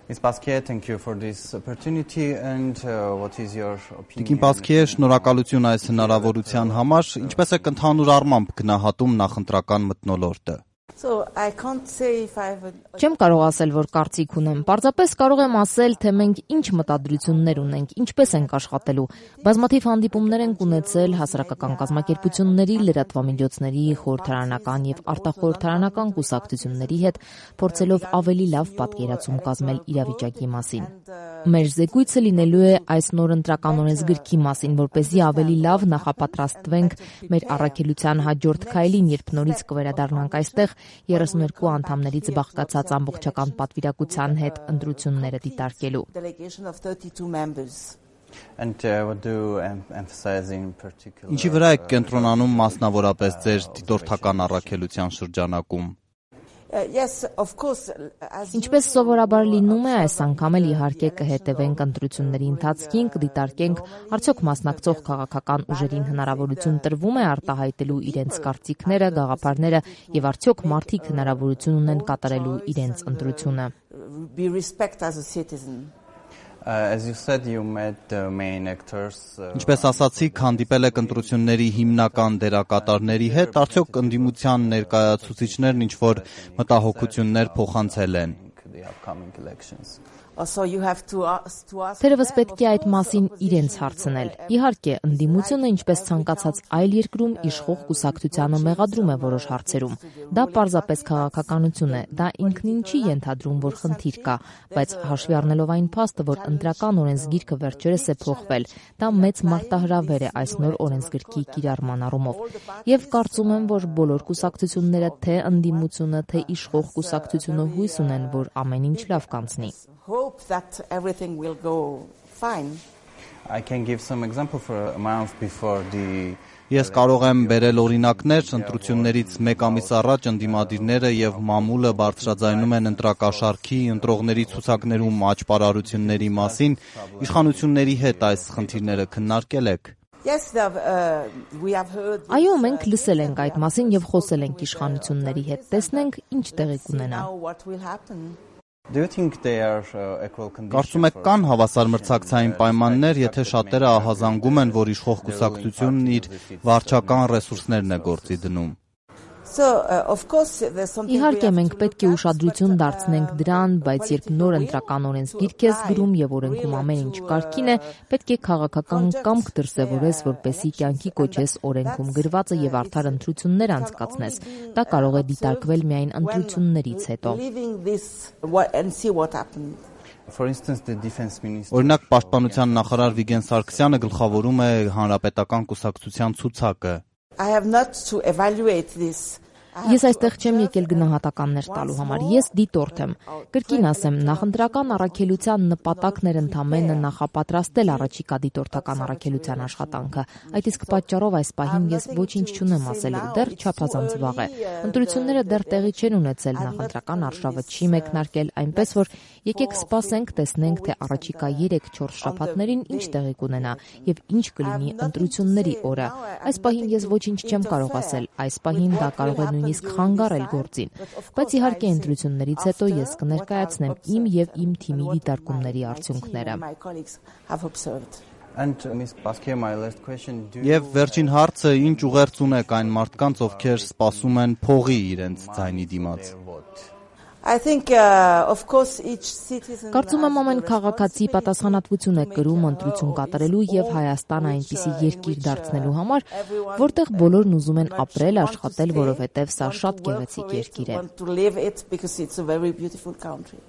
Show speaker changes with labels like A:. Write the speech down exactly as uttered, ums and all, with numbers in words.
A: Miz Pasquier, thank you for this opportunity and uh, what is your opinion?
B: Տիկին Pasquier, շնորհակալություն այս հնարավորության համար, ինչպես է ընդհանուր առմամբ գնահատում նախընտրական մթնոլորտը։
C: So I can't say if I have a...
D: Չեմ կարող ասել, որ կարծիք ունեմ։ Պարզապես կարող եմ ասել, թե մենք ինչ մտադրություններ ունենք, ինչպես ենք աշխատելու։ Բազմաթիվ հանդիպումներ ենք ունեցել հասարակական կազմակերպությունների, լրատվամիջոցների, խորհրդարանական եւ արտախորհրդարանական կուսակցությունների հետ, փորձելով ավելի լավ պատկերացում կազմել իրավիճակի մասին։ Մեր զեկույցը լինելու է այս նոր ընտրական օրենսգրքի մասին, որպեսզի ավելի լավ նախապատրաստվենք մեր առաքելության հաջորդ քայլին, երբ նորից կվերադառնանք այստեղ երեսունհինգ անդամներից բաղկացած ամբողջական պատվիրակության հետ ընտրությունները դիտարկելու։
A: And uh, what do you em- emphasize in particular?
B: Ինչի վրա եք կենտրոնանում մասնավորապես ձեր դիտորդական առաքելության շրջանակում։
C: Uh, yes, of course. As
D: Ինչպես սովորաբար լինում է, այս անգամ էլ իհարկե կհետևենք ընտրությունների ընթացքին, կդիտարկենք արդյոք մասնակցող քաղաքական ուժերին հնարավորություն տրվում է արտահայտելու իրենց կարծիքները, գաղափարները եւ արդյոք մարդիկ հնարավորություն ունեն կատարելու իրենց ընտրությունը։
C: be respect as a citizen.
A: Uh, as you said, you met the main actors. Uh,
B: Ինչպես ասացիք, հանդիպել եք ընտրությունների հիմնական դերակատարների հետ, արդյոք ընդդիմության ներկայացուցիչներն ինչ-որ մտահոգություններ փոխանցել են։
A: the upcoming elections.
C: Also, you have to ask, to ask
D: Թերևս
C: them,
D: պետք է այդ մասին իրենց հարցնել։ Իհարկե, ընդդիմությունը, ինչպես ցանկացած այլ երկրում, իշխող կուսակցությանը մեղադրում է որոշ հարցերում։ Դա պարզապես քաղաքականություն է, դա ինքնին չի ենթադրում, որ խնդիր կա, բայց հաշվի առնելով այն փաստը, որ ընտրական օրենսգիրքը վերջերս է փոխվել, դա մեծ մարտահրավեր է այս նոր օրենսգրքի կիրառման առումով։ Եվ կարծում եմ, որ բոլոր կուսակցությունները, թե ընդդիմությունը, թե իշխող կուսակցությունը հույս ունեն, որ ամեն ինչ լավ կանցնի։
C: hope that everything will go fine.
A: I can give some example for a month before the
B: Ես կարող եմ բերել օրինակներ, ընտրություններից մեկ ամիս առաջ ընդդիմադիրները եւ մամուլը բարձրաձայնում են ընտրակաշառքի, ընտրողների ցուցակներում աճպարարությունների մասին, իշխանությունների հետ այս խնդիրները քննարկել եք։
C: Yes, the, uh, we have heard.
D: Այո, մենք լսել ենք այդ մասին եւ խոսել ենք իշխանությունների հետ, տեսնենք ինչ տեղի կունենա։
C: Now what will happen?
A: Do you think they are uh, equal conditions?
B: Կարծում եք կան հավասար մրցակցային պայմաններ, եթե շատերը ահազանգում են, որ իշխող կուսակցությունն իր վարչական ռեսուրսներն է գործի դնում։
C: So, uh, of course, there's something.
D: Իհարկե մենք պետք է ուշադրություն դարձնենք դրան, բայց երբ նոր ընտրական օրենսգիրք ես գրում եւ օրենքում ամեն ինչ կարգին է, պետք է քաղաքական կամք դրսեւորես, որպեսզի կյանքի կոչես օրենքում գրվածը եւ արդար ընտրություններ անցկացնես։ Դա կարող է դիտարկվել միայն ընտրություններից հետո։
C: Leaving this what, and see what happens.
A: For instance, the defense minister.
B: Օրինակ, պաշտպանության նախարար Վիգեն Սարգսյանը գլխավորում է հանրապետական կուսակցության ցուցակը։
C: I have not to evaluate this.
D: Ես այստեղ չեմ եկել գնահատականներ տալու համար, ես դիտորդ եմ։ Կրկին ասեմ, նախընտրական առաքելության նպատակն էր ընդամենը նախապատրաստել առաջիկա դիտորդական առաքելության աշխատանքը։ Այդ իսկ պատճառով այս պահին ես ոչինչ չունեմ ասելու, դեռ չափազանց վաղ է։ Ընտրությունները դեռ տեղի չեն ունեցել, նախընտրական արշավը չի մեկնարկել, այնպես որ եկեք սպասենք, տեսնենք, թե առաջիկա երեք-չորս շաբաթներին ինչ տեղի կունենա եւ ինչ կլինի ընտրությունների օրը։ Այս պահին ես ոչինչ չեմ կարող ասել, այս պահին դա կարող է նույնիսկ խանգարել գործին, բայց իհարկե ընտրություններից հետո ես կներկայացնեմ իմ եւ իմ թիմի դիտարկումների արդյունքները։
C: My colleagues have observed.
A: And uh, Miz Pasquier, my last question. Do
B: Եվ վերջին հարցը, ինչ ուղերձ ունեք այն մարդկանց, ովքեր սպասում են փողի իրենց ձայնի դիմաց։
C: I think, uh, of course, each citizen.
D: Կարծում եմ ամեն քաղաքացի պատասխանատվություն է կրում ընտրություն կատարելու եւ Հայաստանը այնպիսի երկիր դարձնելու համար, որտեղ բոլորն ուզում են ապրել, աշխատել, որովհետեւ սա շատ գեղեցիկ երկիր է։
C: Want to live it because it's a very beautiful country.